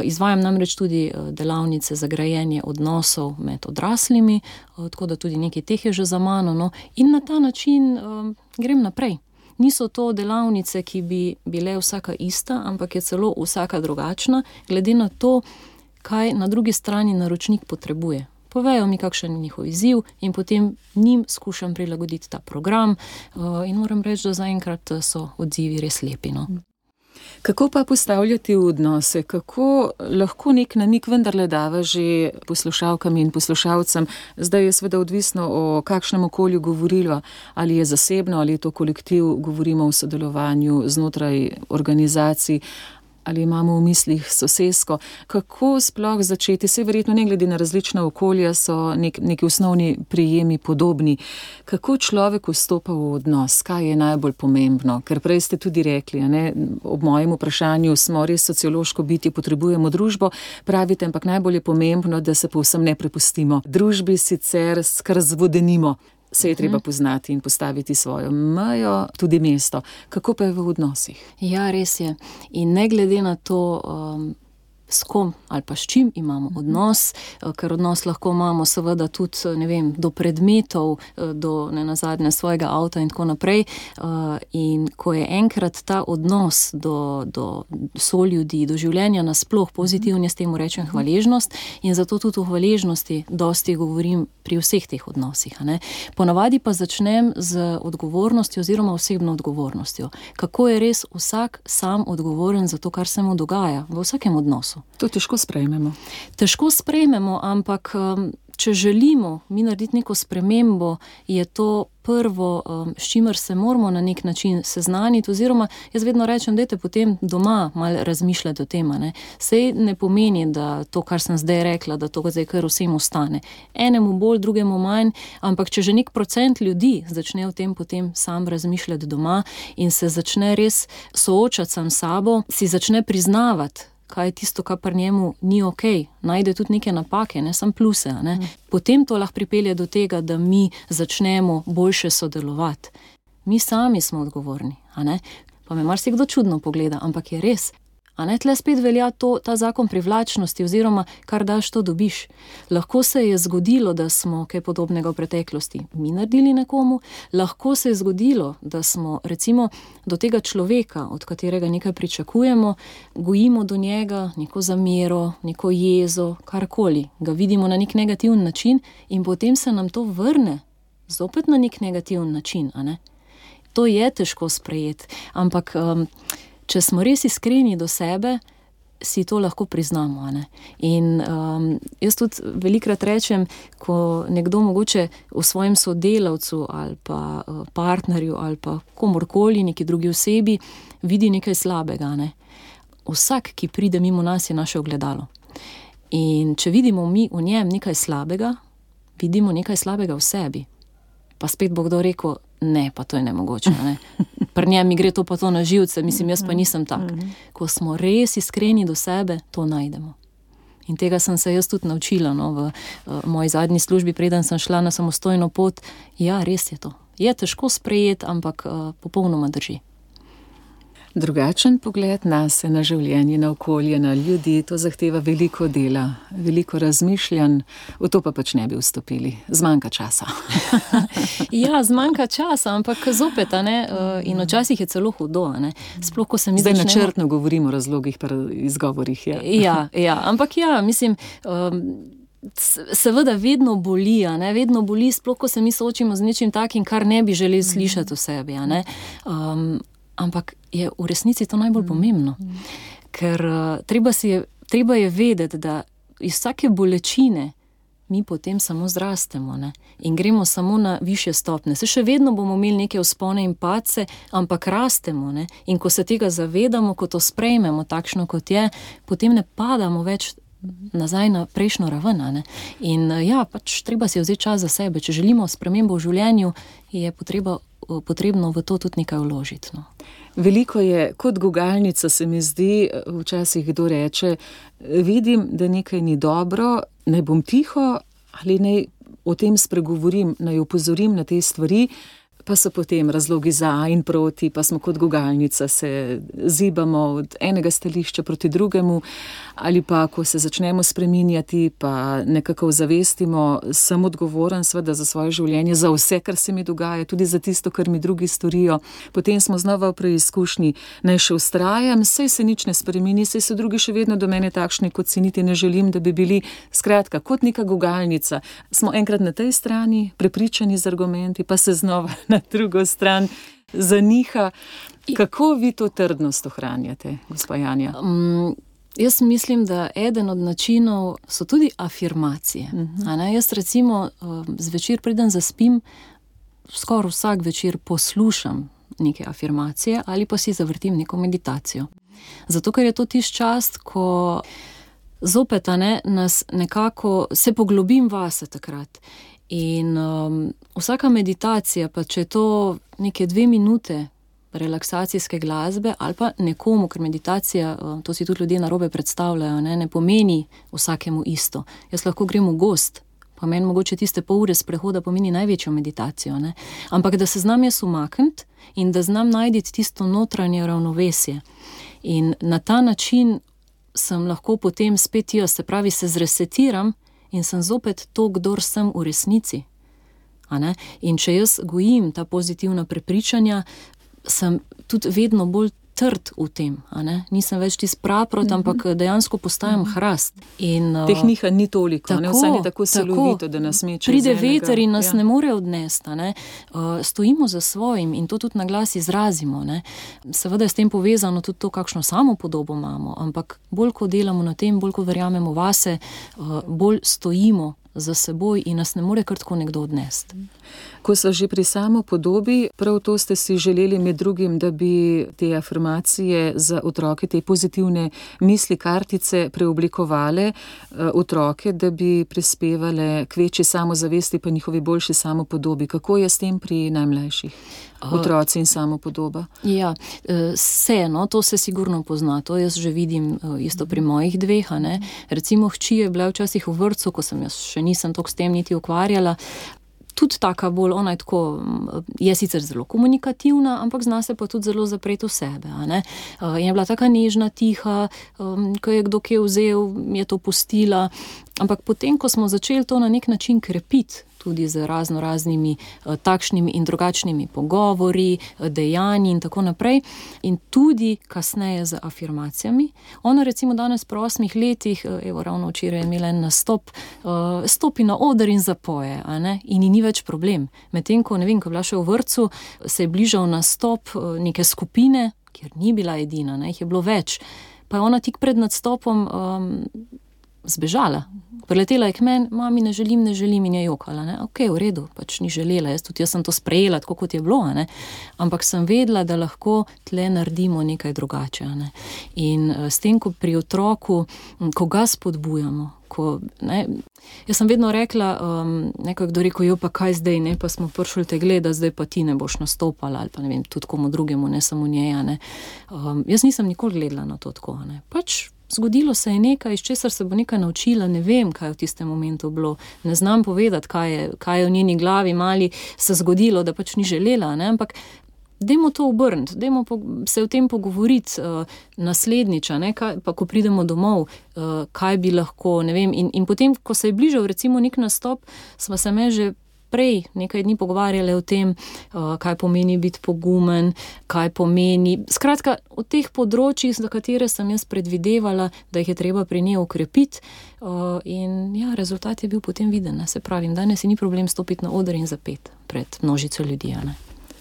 D: Izvajam namreč tudi delavnice za grajenje odnosov med odraslimi, tako da tudi nekaj teh je že za mano, no, in na ta način grem naprej. Niso to delavnice, ki bi bile vsaka ista, ampak je celo vsaka drugačna, glede na to, kaj na drugi strani naročnik potrebuje. Povejo mi, kakšen je njihov izziv in potem njim skušam prilagoditi ta program in moram reči, da zaenkrat so odzivi res lepi. No.
C: Kako pa postavljati v odnose? Kako lahko nek namig vendarle dava že poslušalkam in poslušalcem? Zdaj je seveda odvisno, o kakšnem okolju govoriva, ali je zasebno, ali je to kolektiv, govorimo o sodelovanju znotraj organizacij, ali imamo v mislih sosesko. Kako sploh začeti? Saj verjetno ne glede na različna okolja so neki osnovni prijemi podobni. Kako človek vstopa v odnos? Kaj je najbolj pomembno? Ker prej ste tudi rekli, ne, ob mojem vprašanju smo res sociološko bitje, potrebujemo družbo, pravite, ampak najbolj je pomembno, da se povsem ne prepustimo. Družbi sicer kar zvodenimo. Se je treba poznati in postaviti svojo mejo, tudi mesto. Kako pa je v odnosih?
D: Ja, res je. In ne glede na to, s kom ali pa s čim imamo odnos, ker odnos lahko imamo seveda tudi, ne vem, do predmetov, do nenazadnje svojega avta in tako naprej. In ko je enkrat ta odnos do soljudi, do življenja nasploh pozitivni, s temu rečem hvaležnost, in zato tudi o hvaležnosti dosti govorim pri vseh teh odnosih. Ne. Ponavadi pa začnem z odgovornostjo oziroma osebno odgovornostjo. Kako je res vsak sam odgovoren za to, kar se mu dogaja v vsakem odnosu.
C: To težko sprejmemo.
D: Težko sprejmemo, ampak če želimo mi narediti neko spremembo, je to prvo, s čimer se moramo na nek način seznaniti, oziroma jaz vedno rečem, dajte potem doma malo razmišljati o tem. Sej ne pomeni, da to, kar sem zdaj rekla, da to zdaj kar vsem ostane. Enemu bolj, drugemu manj, ampak če že nek procent ljudi začne o tem potem sam razmišljati doma in se začne res soočati sam s sabo, si začne priznavati, kaj je tisto, kar pri njemu ni okej, najde tudi neke napake, ne samo pluse. Ne? Potem to lahko pripelje do tega, da mi začnemo boljše sodelovati. Mi sami smo odgovorni, a ne? Pa me marsikdo čudno pogleda, ampak je res. A ne, tle spet velja ta zakon privlačnosti, oziroma kar daš, to dobiš. Lahko se je zgodilo, da smo kaj podobnega v preteklosti mi naredili nekomu, lahko se je zgodilo, da smo recimo do tega človeka, od katerega nekaj pričakujemo, gojimo do njega neko zamero, neko jezo, karkoli, ga vidimo na nek negativen način in potem se nam to vrne zopet na nek negativen način, a ne. To je težko sprejeti, ampak če smo res iskreni do sebe, si to lahko priznamo. Ne? In jaz tudi velikrat rečem, ko nekdo mogoče v svojem sodelavcu ali pa partnerju ali pa komorkoli, neki drugi osebi, vidi nekaj slabega. Ne? Vsak, ki pride mimo nas, je naše ogledalo. In če vidimo mi v njem nekaj slabega, vidimo nekaj slabega v sebi. Pa spet bo kdo rekel, ne, pa to je nemogoče. Ne? Pri njem mi gre to pa to na živce, mislim, jaz pa nisem tak. Ko smo res iskreni do sebe, to najdemo. In tega sem se jaz tudi naučila, no, v moji zadnji službi, preden sem šla na samostojno pot. Ja, res je to. Je težko sprejeti, ampak popolnoma drži.
C: Drugačen pogled nase, na življenje, na okolje, na ljudi, to zahteva veliko dela, veliko razmišljanj, v to pa pač ne bi vstopili. Zmanjka časa.
D: Ja, zmanjka časa, ampak zopet, ne, in včasih je celo hudo, ne. Sploh, ko se mi
C: zdaj načrtno govorimo o razlogih pa izgovorih. Ja.
D: Ja, ampak ja, mislim, seveda vedno boli, ne, vedno boli, sploh, ko se mi soočimo z nečim takim, kar ne bi želeli slišati v sebi, ne. Ampak je v resnici to najbolj pomembno. Ker treba je vedeti, da iz vsake bolečine mi potem samo zrastemo, ne? In gremo samo na višje stopnje. Se še vedno bomo imeli neke vzpone in padce, ampak rastemo, ne? In ko se tega zavedamo, ko to sprejmemo takšno, kot je, potem ne padamo več nazaj na prejšnjo raven, ne? In ja, pač treba si vzeti čas za sebe. Če želimo spremembo v življenju, je potrebno v to tudi nekaj vložiti, no.
C: Veliko je kot gugalnica, se mi zdi, včasih kdo reče, vidim, da nekaj ni dobro, naj bom tiho ali naj o tem spregovorim, naj opozorim na te stvari, pa so potem razlogi za in proti, pa smo kot gugalnica, se zibamo od enega stališča proti drugemu, ali pa, ko se začnemo spreminjati, pa nekako zavestimo, sem odgovoren seveda za svoje življenje, za vse, kar se mi dogaja, tudi za tisto, kar mi drugi storijo. Potem smo znova v preizkušnji, naj še vztrajam, saj se nič ne spremeni, saj so drugi še vedno do mene takšni, kot si niti ne želim, da bi bili. Skratka, kot neka gugalnica. Smo enkrat na tej strani, prepričani z argumenti, pa se znova na drugo stran zaniha. Kako vi to trdnost ohranjate, gospa Janja?
D: Jaz mislim, da eden od načinov so tudi afirmacije. Jaz recimo zvečer preden zaspim, skoraj vsak večer poslušam neke afirmacije ali pa si zavrtim neko meditacijo. Zato, ker je to tisti čas, ko zopet nas nekako se poglobim vase takrat. In vsaka meditacija, pa če je to neke 2 minute relaksacijske glasbe ali pa nekomu, ker meditacija, to si tudi ljudje narobe predstavljajo, ne pomeni vsakemu isto. Jaz lahko grem v gozd, pa meni mogoče tiste pol ure sprehoda pomeni največjo meditacijo, ne? Ampak da se znam jaz umakniti in da znam najti tisto notranje ravnovesje. In na ta način sem lahko potem spet jaz, se pravi, se zresetiram in sem zopet to, kdor sem v resnici. In če jaz gojim ta pozitivna prepričanja, sem tudi vedno bolj trd v tem, nisem več tisti praprot, ampak dejansko postajam hrast.
C: Teh nihanj ni toliko, vsaj ni tako silovito, da nas meče
D: pride veter in nas ne more odnesti, stojimo za svojim in to tudi na glas izrazimo, Seveda je s tem povezano tudi to, kakšno samopodobo imamo, ampak bolj ko delamo na tem, bolj ko verjamemo vase, bolj stojimo za seboj in nas ne more kar tako nekdo odnesti.
C: Ko so že pri samopodobi, prav to ste si želeli med drugim, da bi te afirmacije za otroke, te pozitivne misli, kartice preoblikovale otroke, da bi prispevale k večji samozavesti pa njihovi boljši samopodobi. Kako je s tem pri najmlajših? Otroci in samopodoba?
D: Ja, to se sigurno pozna, to jaz že vidim isto pri mojih dveh, Recimo hči je bila včasih v vrtcu, ko sem jaz še nisem toliko s tem niti ukvarjala, tudi taka bolj, ona je tako, je sicer zelo komunikativna, ampak zna se pa tudi zelo zapreti v sebe, In je bila taka nežna, tiha, ko je kdo kje vzel, je to pustila, ampak potem, ko smo začeli to na nek način krepiti, tudi z raznimi takšnimi in drugačnimi pogovori, dejanji in tako naprej, in tudi kasneje z afirmacijami. Ona recimo danes pri 8 letih, ravno včeraj je imela en nastop, stopi na oder in zapoje, in ni več problem. Medtem ko, ko je bila še v vrtcu, se je bližal nastop neke skupine, kjer ni bila edina, jih je bilo več, pa je ona tik pred nastopom zbežala. Priletela je k meni, mami, ne želim in je jokala. Ok, v redu, pač ni želela, jaz sem to sprejela, tako kot je bilo, ampak sem vedela, da lahko tle naredimo nekaj drugače. In s tem, ko pri otroku, ko ga spodbujamo, jaz sem vedno rekla, kdo rekel, pa kaj zdaj, pa smo prišli te gleda, zdaj pa ti ne boš nastopala, ali pa ne vem, tudi komu drugemu, ne samo njej, Jaz nisem nikoli gledala na to tako, Pač zgodilo se je nekaj, iz česar se bo nekaj naučila, ne vem, kaj je v tistem momentu bilo, ne znam povedati, kaj je v njeni glavi mali se zgodilo, da pač ni želela, ampak dajmo to obrniti, dajmo se o tem pogovoriti naslednjič, pa ko pridemo domov, kaj bi lahko, ne vem, in potem, ko se je bližal recimo nek nastop, smo se že prej nekaj dni pogovarjali o tem, kaj pomeni biti pogumen, kaj pomeni, skratka, o teh področjih, za katere sem jaz predvidevala, da jih je treba pri njej ukrepiti, in ja, rezultat je bil potem viden, se pravim, danes ni problem stopiti na oder in zapeti pred množico ljudi,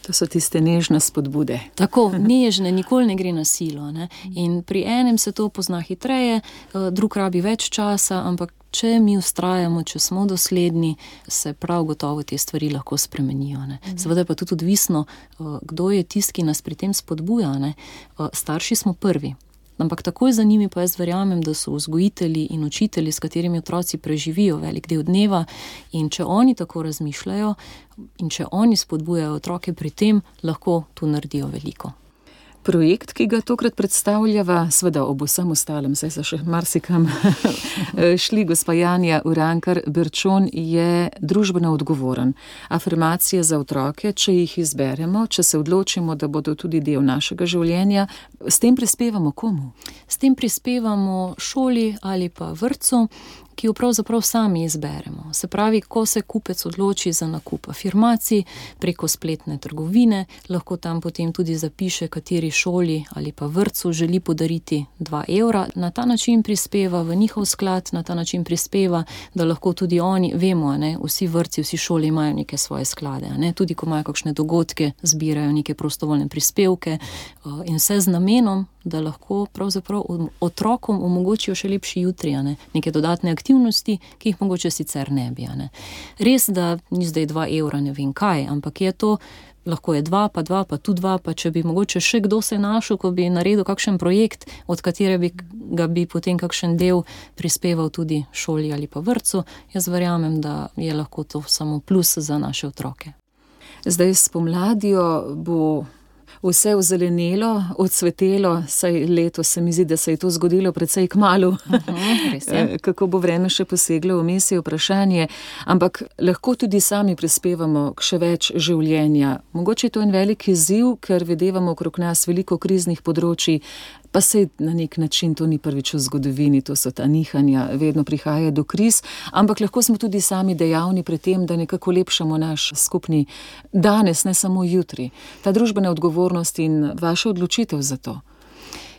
C: To so tiste nežne spodbude.
D: Tako, nežne, nikoli ne gre na silo, In pri enem se to pozna hitreje, drug rabi več časa, ampak če mi vztrajamo, če smo dosledni, se prav gotovo te stvari lahko spremenijo. Ne. Seveda pa tudi odvisno, kdo je tisti, ki nas pri tem spodbuja. Ne. Starši smo prvi. Ampak takoj za njimi pa jaz verjamem, da so vzgojitelji in učitelji, s katerimi otroci preživijo velik del dneva, in če oni tako razmišljajo in če oni spodbujajo otroke pri tem, lahko tu naredijo veliko.
C: Projekt, ki ga tokrat predstavljava, seveda ob vsem ostalem, saj so še marsikam šli, gospa Janja Urankar-Berčon, je družbeno odgovoren. Afirmacije za otroke, če jih izberemo, če se odločimo, da bodo tudi del našega življenja, s tem prispevamo komu?
D: S tem prispevamo šoli ali pa vrtcu, ki jo pravzaprav sami izberemo. Se pravi, ko se kupec odloči za nakup afirmacij preko spletne trgovine, lahko tam potem tudi zapiše, kateri šoli ali pa vrtcu želi podariti 2 evra. Na ta način prispeva v njihov sklad, na ta način prispeva, da lahko tudi oni, vemo, ne, vsi vrtci, vsi šoli imajo neke svoje sklade, ne, tudi ko imajo kakšne dogodke, zbirajo neke prostovoljne prispevke in vse z namenom, da lahko pravzaprav otrokom omogočijo še lepši jutri, ne, neke dodatne aktivnosti, ki jih mogoče sicer ne bi. Ne. Res, da ni zdaj 2 evra ne vem kaj, ampak je to, lahko je 2, pa 2, pa tu 2, pa če bi mogoče še kdo se našel, ko bi naredil kakšen projekt, od katerega bi potem kakšen del prispeval tudi šoli ali pa vrtcu, jaz verjamem, da je lahko to samo plus za naše otroke.
C: Zdaj s pomladjo bo vse ozelenelo, odsvetelo, saj letos se mi zdi, da se je to zgodilo precej kmalu.
D: Res je.
C: Kako bo vreme še poseglo, vmes je vprašanje, ampak lahko tudi sami prispevamo k še več življenja. Mogoče je to en velik izziv, ker videvamo okrog nas veliko kriznih področij, pa se na nek način to ni prvič v zgodovini, to so ta nihanja, vedno prihaja do kriz, ampak lahko smo tudi sami dejavni pri tem, da nekako lepšamo naš skupni danes, ne samo jutri. Ta družbena odgovornost in vaša odločitev za to.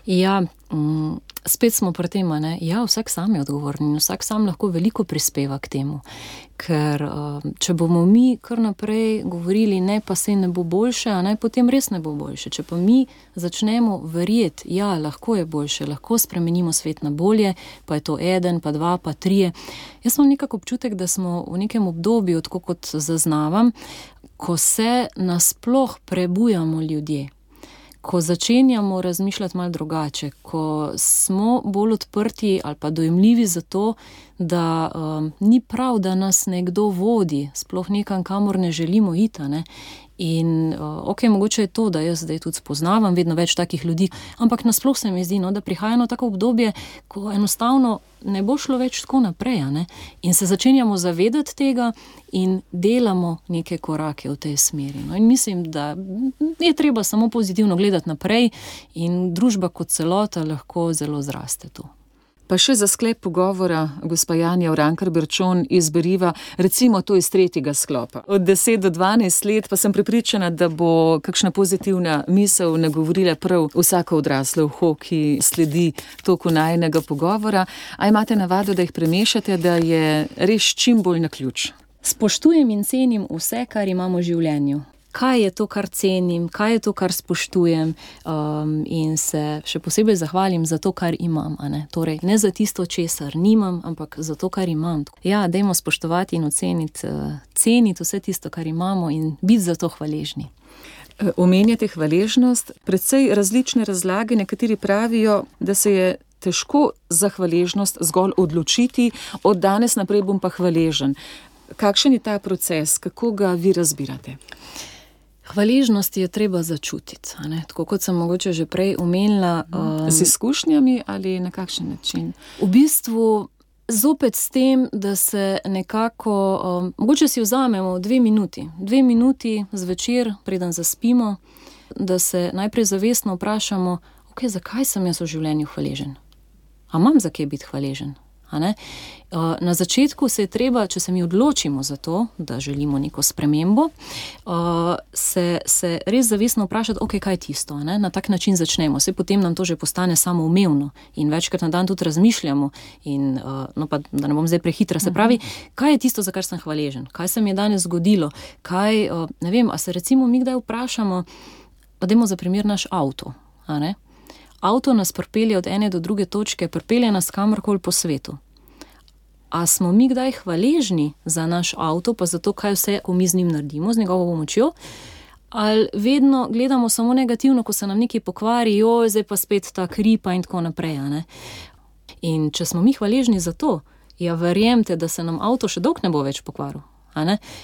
D: Ja, spet smo pri tem, ne? Ja, vsak sam je odgovoren in vsak sam lahko veliko prispeva k temu. Ker če bomo mi kar naprej govorili, ne, pa se ne bo boljše, a ne, potem res ne bo boljše. Če pa mi začnemo verjeti, ja, lahko je boljše, lahko spremenimo svet na bolje, pa je to 1, pa 2, pa 3. Jaz imam nekako občutek, da smo v nekem obdobju, tako kot zaznavam, ko se nasploh prebujamo ljudje. Ko začenjamo razmišljati malo drugače, ko smo bolj odprti ali pa dojemljivi za to, da ni prav, da nas nekdo vodi, sploh nekam, kamor ne želimo iti, ne. In mogoče je to, da jaz zdaj tudi spoznavam vedno več takih ljudi, ampak nasploh se mi zdi, no, da prihaja eno tako obdobje, ko enostavno ne bo šlo več tako naprej, ne? In se začenjamo zavedati tega in delamo neke korake v tej smeri. No? In mislim, da je treba samo pozitivno gledati naprej in družba kot celota lahko zelo zraste tu.
C: Pa še za sklep pogovora, gospa Janja Urankar-Berčon, izberiva recimo to iz 3. sklopa. Od 10 do 12 let pa sem prepričana, da bo kakšna pozitivna misel nagovorila prav vsako odraslo uho, ki sledi toku najinega pogovora. A imate navado, da jih premešate, da je res čim bolj na ključ?
D: Spoštujem in cenim vse, kar imamo v življenju. Kaj je to, kar cenim, kaj je to, kar spoštujem, in se še posebej zahvalim za to, kar imam. Torej, ne za tisto, česar nimam, ampak za to, kar imam. Ja, dajmo spoštovati in ceniti vse tisto, kar imamo in biti za to hvaležni.
C: Omenjate hvaležnost, precej različne razlage, nekateri pravijo, da se je težko za hvaležnost zgolj odločiti, od danes naprej bom pa hvaležen. Kakšen je ta proces, kako ga vi razbirate?
D: Hvaležnost je treba začutiti, tako kot sem mogoče že prej omenila.
C: Z izkušnjami ali na kakšen način?
D: V bistvu zopet s tem, da se nekako, mogoče si vzamemo 2 minuti. 2 minuti zvečer, preden zaspimo, da se najprej zavestno vprašamo, zakaj sem jaz v življenju hvaležen? A imam za kaj biti hvaležen? Na začetku se je treba, če se mi odločimo za to, da želimo neko spremembo, se res zavestno vprašati, kaj je tisto, na tak način začnemo. Saj potem nam to že postane samoumevno in večkrat na dan tudi razmišljamo in, pa da ne bom zdaj prehitra, se pravi, kaj je tisto, za kar sem hvaležen, kaj se mi je danes zgodilo, kaj, ne vem, a se recimo mi kdaj vprašamo, pa dajmo za primer naš avto, Avto nas pripelje od ene do druge točke, pripelje nas kamorkoli po svetu. A smo mi kdaj hvaležni za naš avto, pa za to, kaj vse, ko mi z njim naredimo, z njegovo pomočjo, ali vedno gledamo samo negativno, ko se nam nekaj pokvari, zdaj pa spet ta kripa in tako naprej, a ne? In če smo mi hvaležni za to, ja, verjemte, da se nam avto še dolgo ne bo več pokvaril.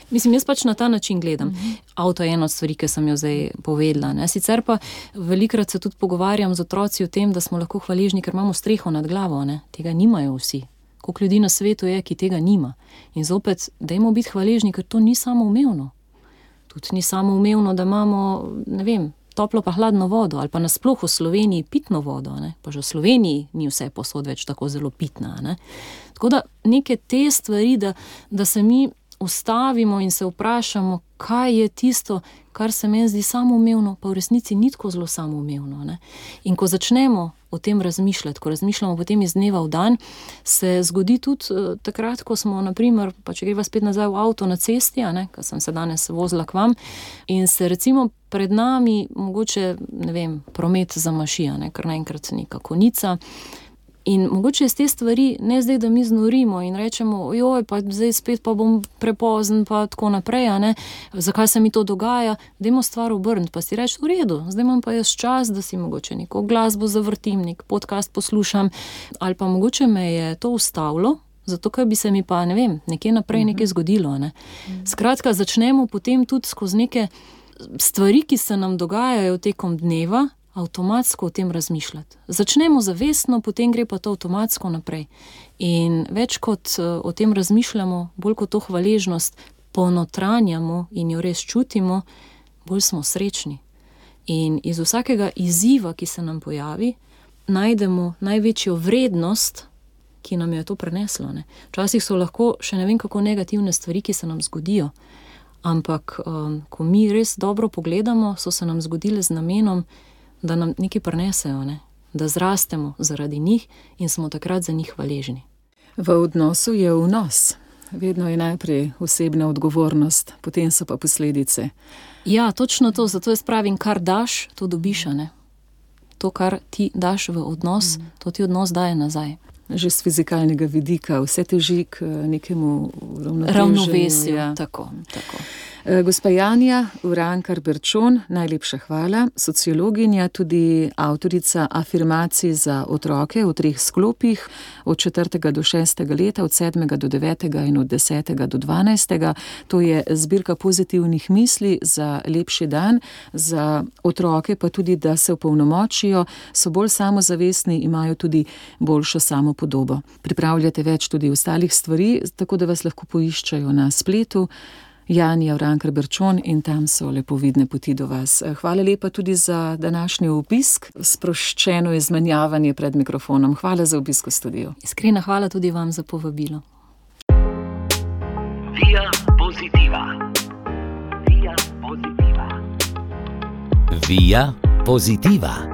D: Mislim, jaz pač na ta način gledam. Avto je ena od stvari, ki sem jo zdaj povedala. Ne? Sicer pa velikrat se tudi pogovarjam z otroci o tem, da smo lahko hvaležni, ker imamo streho nad glavo. Ne? Tega nimajo vsi. Koliko ljudi na svetu je, ki tega nima. In zopet, dajmo biti hvaležni, ker to ni samoumevno. Tudi ni samoumevno, da imamo, ne vem, toplo pa hladno vodo, ali pa nasploh v Sloveniji pitno vodo. Ne? Pa že v Sloveniji ni vse posod več tako zelo pitna. Ne? Tako da neke te stvari, da se mi ustavimo in se vprašamo, kaj je tisto, kar se meni zdi samoumevno, pa v resnici ni tako zelo samoumevno. Ne? In ko začnemo o tem razmišljati, ko razmišljamo potem iz dneva v dan, se zgodi tudi takrat, ko smo, naprimer, pa če greva spet nazaj v avto na cesti, ker sem se danes vozila k vam, in se recimo pred nami mogoče, ne vem, promet zamaši, kar naenkrat neka konica. In mogoče iz te stvari ne zdaj, da mi znorimo in rečemo, pa zdaj spet pa bom prepozen, pa tako naprej, zakaj se mi to dogaja, dajmo stvar obrniti, pa si reči, v redu, zdaj imam pa jaz čas, da si mogoče neko glasbo zavrtim, nek podcast poslušam, ali pa mogoče me je to ustavilo, zato ker bi se mi pa, ne vem, nekje naprej nekaj zgodilo. Skratka, začnemo potem tudi skozi neke stvari, ki se nam dogajajo tekom dneva, avtomatsko o tem razmišljati. Začnemo zavestno, potem gre pa to avtomatsko naprej. In več kot o tem razmišljamo, bolj kot to hvaležnost ponotranjamo in jo res čutimo, bolj smo srečni. In iz vsakega izziva, ki se nam pojavi, najdemo največjo vrednost, ki nam je to preneslo. Včasih so lahko še ne vem kako negativne stvari, ki se nam zgodijo, ampak ko mi res dobro pogledamo, so se nam zgodile z namenom, da nam nekaj prinesejo, da zrastemo zaradi njih in smo takrat za njih hvaležni.
C: V odnosu je vnos. Vedno je najprej osebna odgovornost, potem so pa posledice.
D: Ja, točno to, zato jaz pravim, kar daš, to dobiš, To, kar ti daš v odnos, to ti odnos daje nazaj.
C: Že z fizikalnega vidika, vse teži k nekemu
D: ravnovesju. Ja. Tako.
C: Gospa Janja Urankar-Berčon, najlepša hvala, sociologinja, tudi avtorica afirmacij za otroke v 3 sklopih, od 4. do 6. leta, od 7. do 9. in od 10. do 12. To je zbirka pozitivnih misli za lepši dan, za otroke pa tudi, da se opolnomočijo, so bolj samozavestni, imajo tudi boljšo samopodobo. Pripravljate več tudi ostalih stvari, tako da vas lahko poiščajo na spletu. Janja Urankar-Berčon in tam so lepo vidne poti do vas. Hvala lepa tudi za današnji obisk, sproščeno izmenjavanje pred mikrofonom. Hvala za obisk v studiu.
D: Iskrena hvala tudi vam za povabilo.
A: Via Positiva. Via Positiva.
B: Via Positiva.